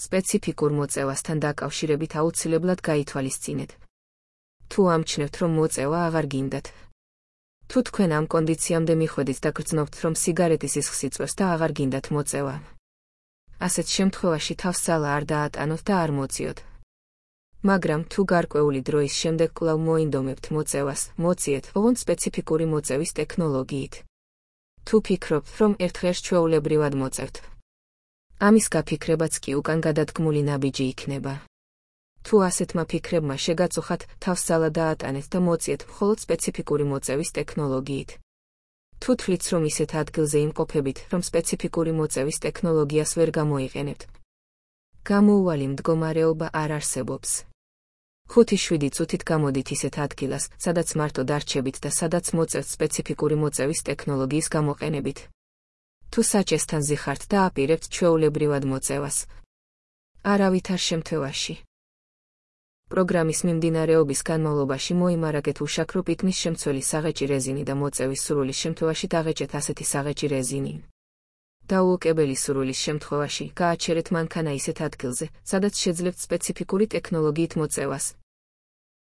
სპეციფიკურ მოწევასთან დაკავშირებით აუცილებლად გაითვალისწინეთ. თუ ამჩნევთ, რომ მოწევა აღარ გინდათ. თუ თქვენ ამ კონდიციამდე მიხვედით და გრძნობთ, რომ სიგარეტის სისხლს იწვევს და აღარ გინდათ მოწევა, ასეთ შემთხვევაში თავს-ძალა არ დაატანოთ და არ მოწიოთ. მაგრამ თუ გარკვეული დროის შემდეგ კვლავ მოინდომებთ მოწევას, მოწიეთ ოღონდ სპეციფიკური მოწევის ტექნოლოგიით. თუ ფიქრობთ, რომ ერთხელ ჩვეულებრივად მოწევთ, ამის გაფიქრებაც კი უკან გადადგმული ნაბიჯი იქნება. თუ ასეთმა ფიქრებმა შეგაწუხათ, თავს-ძალა დაატანეთ და მოწიეთ მხოლოდ სპეციფიკური მოწევის ტექნოლოგიით. თუ თვლით, რომ ისეთ ადგილზე იმყოფებით, რომ სპეციფიკური მოწევის ტექნოლოგიას ვერ გამოიყენებთ, გამოუვალი მდგომარეობა არ არსებობს. 5-7 წუთით გამოდით ისეთ ადგილას, სადაც მარტო დარჩებით და სადაც მოწევთ სპეციფიკური მოწევის ტექნოლოგიის გამოყენებით. თუ საჭესთან ზიხართ და აპირებთ ჩვეულებრივად მოწევას, არავითარ შემთხვევაში. პროგრამის მიმდინარეობის განმავლობაში მოიმარაგეთ უშაქრო პიკნის შემცველი საღეჭი რეზინი და მოწევის სურვილის შემთხვევაში დაღეჭეთ ასეთი საღეჭი რეზინი. დაუოკებელი სურვილის შემთხვევაში გააჩერეთ მანქანა ისეთ ადგილზე, სადაც შეძლებთ სპეციფიკური ტექნოლოგიით მოწევას.